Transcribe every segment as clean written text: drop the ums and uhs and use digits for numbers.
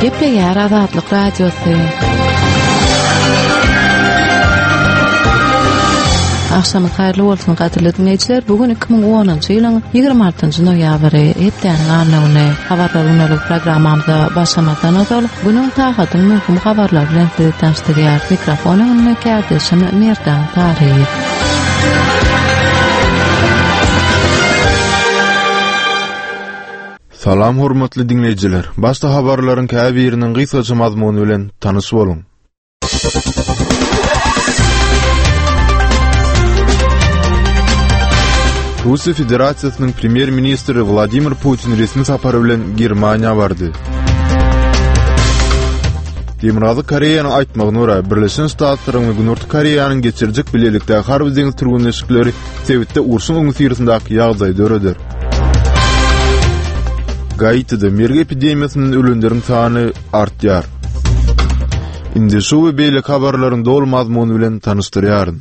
Gepleýär Azatlyk Radiosy. Agşamyz haýyrly bolsun gadyrly diňleýjiler. Bu gün 2010-njy ýylyň 26-njy noýabry, hepdäniň anna güni. Habarlar gündelik programmamyza başlamazdan ozal, günüň sagadyň möhüm habarlary bilen sizi tanyşdyrýar. Mikrofon öňünde kärdeşim Merdan Saryýew. Salam hormatly diňleýjiler! Başda habarlaryň käbiriniň gysgaça mazmuny bilen tanyş boluň. Russiýa Federasiýasynyň Premýer-ministri Wladimir Putin resmi sapary bilen Germaniýa bardy. Demirgazyk Koreýanyň aýtmagyna görä, Birleşen Ştatlaryň we Günorta Koreýanyň geçirjek bilelikdäki harby-deňiz türgenleşikleri sebitde urşuň öňüsyrasyndaky ýagdaýy döreder. Gaitide mergi epidemiýasyndan ölenleriň sany artýar. Indi şu we beýleki habarlaryň doly mazmuny bilen tanyşdyrýaryn.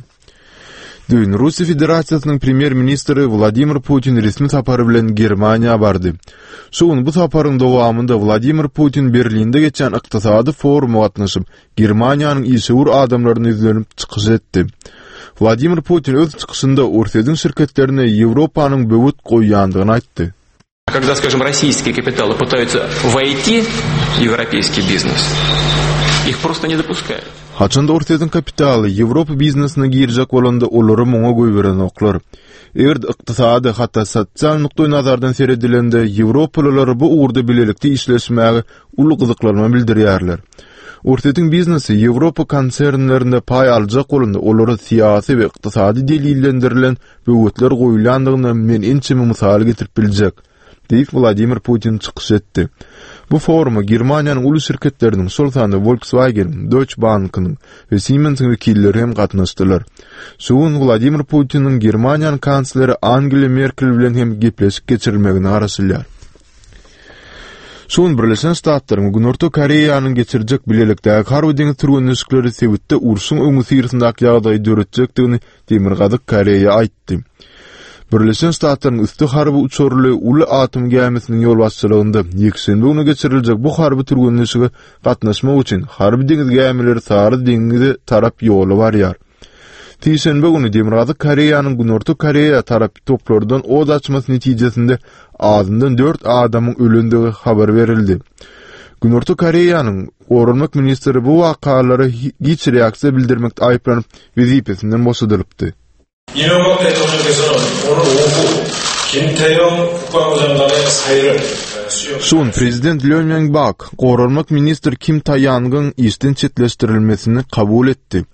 Düýn Russiýa Federasiýasynyň Premýer-ministri Wladimir Putin resmi sapary bilen Germaniýa bardy. Şu gün bu saparyň dowamynda Wladimir Putin Berlinde geçýän ykdysady foruma gatnaşyp, Germaniýanyň işewür adamlaryna ýüzlenip çykyş etdi. Wladimir Putin öz çykyşynda Orsýetiň şirketlerine Ýewropanyň böwet goýýandygyny aýtdy. Когда, скажем, российские капиталы пытаются войти в европейский бизнес, их просто не допускают. Haçanda Orsýetiň kapitaly Ýewropa biznesine girjek bolanda olary muňa goýberenoklar. Eger-de ykdysady, hatda sosial nukdaýnazardan seredilende ýewropalylar bu ugurda bilelikde işleşmäge uly gyzyklanma bildirýärler. Orsýetiň biznesi Ýewropa konsernlerinde paý aljak bolanda olara syýasy we ykdysady delillendirilen böwetler goýulýandygyna men ençeme mysal getirip biljek, diýip, Wladimir Putin çykyş etdi. Bu foruma Germaniýanyň uly şirketleriniň, şol sanda Volkswagen-iň, Deutsche Bank-yň we Siemens-iň wekilleri hem gatnaşdylar. Şu gün Wladimir Putiniň Germaniýanyň kansleri Angela Merkel bilen hem gepleşik geçirilmegine garaşylýar. Şu gün Birleşen Ştatlaryň we Günorta Koreýanyň geçirjek bilelikdäki harby-deňiz türgenleşikleri sebitde urşuň öňüsyrasyndaky ýagdaýy döretjekdigini Demirgazyk Koreýa aýtdy. Birleşen Ştatlaryň üsti harby uçarly uly atom gämisiniň ýolbaşçylygynda ýekşenbe güni geçiriljek bu harby türgenleşige gatnaşmak üçin harby deňiz gämileri Sary deňize tarap ýola barýar. Sişenbe güni Demirgazyk Koreýanyň Günorta Koreýa tarap toplardan od açmasy netijesinde azyndan dört adamyň ölendigi habar berildi. Günorta Koreýanyň goranmak ministri bu wakalara giç reaksiýa bildirmekde aýyplanyp, wezipesinden boşadylypdy. Imeňbak 대통령께서는 오늘 오후 김태영 국방부 장관의 사의를 Şu gün prezident Lýo Mýong Bak goranmak ministri Kim Taýangyň işden çetleşdirilmesini kabul etdi,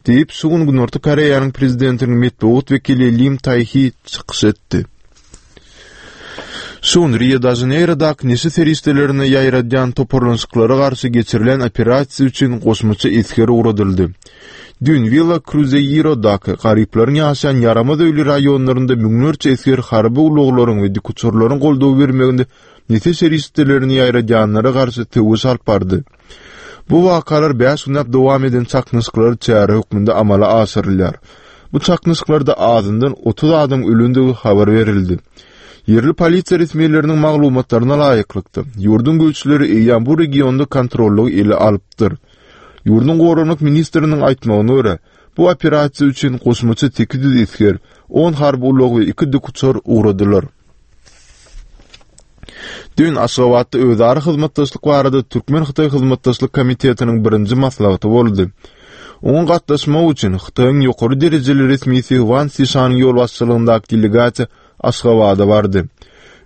diýip, şu gün Günorta Koreýanyň prezidentiniň metbugat wekili Lim Taýhi çykyş etdi. Şu gün Rio-de-Žaneýrodaky neşe serişdelerini ýaýradýan toparlanyşyklara garşy geçirilen operasiýa üçin goşmaça esger ugradyldy. Düýn Willa Kruzeýirodaky garyplaryň ýaşaýan ýaramaz öýli raýonlarynda müňlerçe esger harby ulaglaryň we dikuçarlaryň goldaw bermeginde neşe serişdelerini ýaýradýanlara garşy söweş alyp bardy. Bu wakalar bäş günläp dowam eden çaknyşyklara çäre hökmünde amala aşyrylýar. Bu çaknyşyklarda azyndan 30 adam ölendigi habar berildi. Ýerli polisiýa resmileriniň maglumatlaryna laýyklykda, ýurduň güýçleri eýýäm bu regionda kontrollygy ele alypdyr. Ýurduň goranmak ministriniň aýtmagyna görä, bu operasiýa üçin goşmaça 800 esger, on harby ulag we iki dikuçar ugradylar. Düýn Aşgabatda özara hyzmatdaşlyk barada Türkmen-hytaý hyzmatdaşlyk komitetiniň birinji maslahaty boldy. Oňa gatnaşmak üçin Hytaýyň ýokary derejeli resmisi Wan Sişanyň ýolbaşçylygyndaky delegasiýa Aşgabada bardy.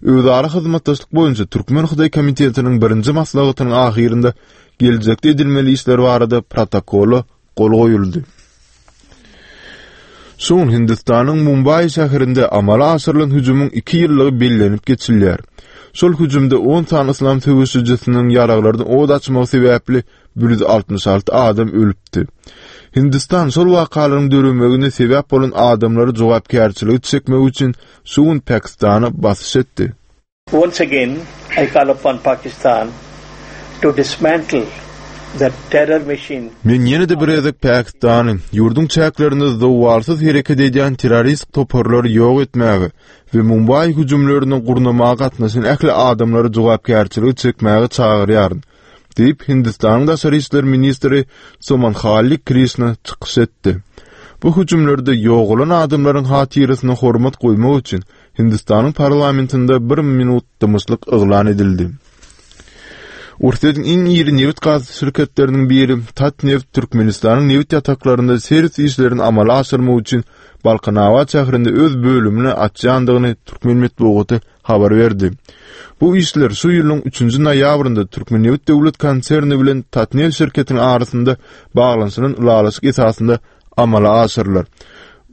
Özara hyzmatdaşlyk boýunça Türkmen-hytaý komitetiniň birinji maslahatynyň ahyrynda geljekde edilmeli işler barada protokola gol goýuldy. Şu gün Hindistanyň Mumbaý şäherinde amala aşyrylan hüjümiň iki ýyllygy bellenip geçilýär. Şol hüjümde on sany yslam söweşijisiniň ýaraglardan od açmagy sebäpli 166 adam ölüpdi. Hindistan şol wakalaryň döremegine sebäp bolan adamlary jogapkärçilige çekmek üçin şu gün Pakistana basyş etdi. Once again I call upon Pakistan to dismantle the terror machine. Men ýene-de bir gezek Pakistany, ýurduň çäklerinde zowalsyz hereket edýän terrorist toparlary ýok etmäge we Mumbaý hüjümlerini gurnamaga gatnaşan ähli adamlary jogapkärçilige çekmäge çagyrýaryn. Diýip, Hindistanyň daşary işler ministri Somanhalli Krişna çykyş etdi. Bu hüjümlerde ýogalan adamlaryň hatyrasyna hormat goýmak üçin Hindistanyň parlamentinde bir minut dymyşlyk yglan edildi. Orsýetiň iň iri nebit-gaz şirketleriniň biri Tatneft Türkmenistanyň nebit ýataklarynda serwis işlerini amala aşyrmak üçin Balkanabat şäherinde öz bölümini açýandygyny türkmen metbugaty habar berdi. Bu işler şu ýylyň üçünji noýabrynda Türkmennebit döwlet konserni bilen Tatneft şirketiniň arasynda baglanyşylan ylalaşyk esasynda amala aşyrylar.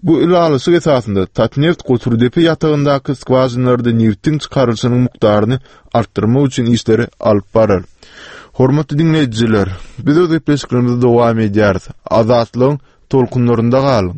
Bu ylalaşyk esasynda Tatneft Goturdepe ýatagyndaky skwažinalarda nebitiň çykarylyşynyň mukdaryny artdyrmak üçin işleri alyp barar. Hormatly diňleýjiler, biz öz gepleşiklerimizi dowam edýäris. Azatlygyň tolkunlarynda galyň!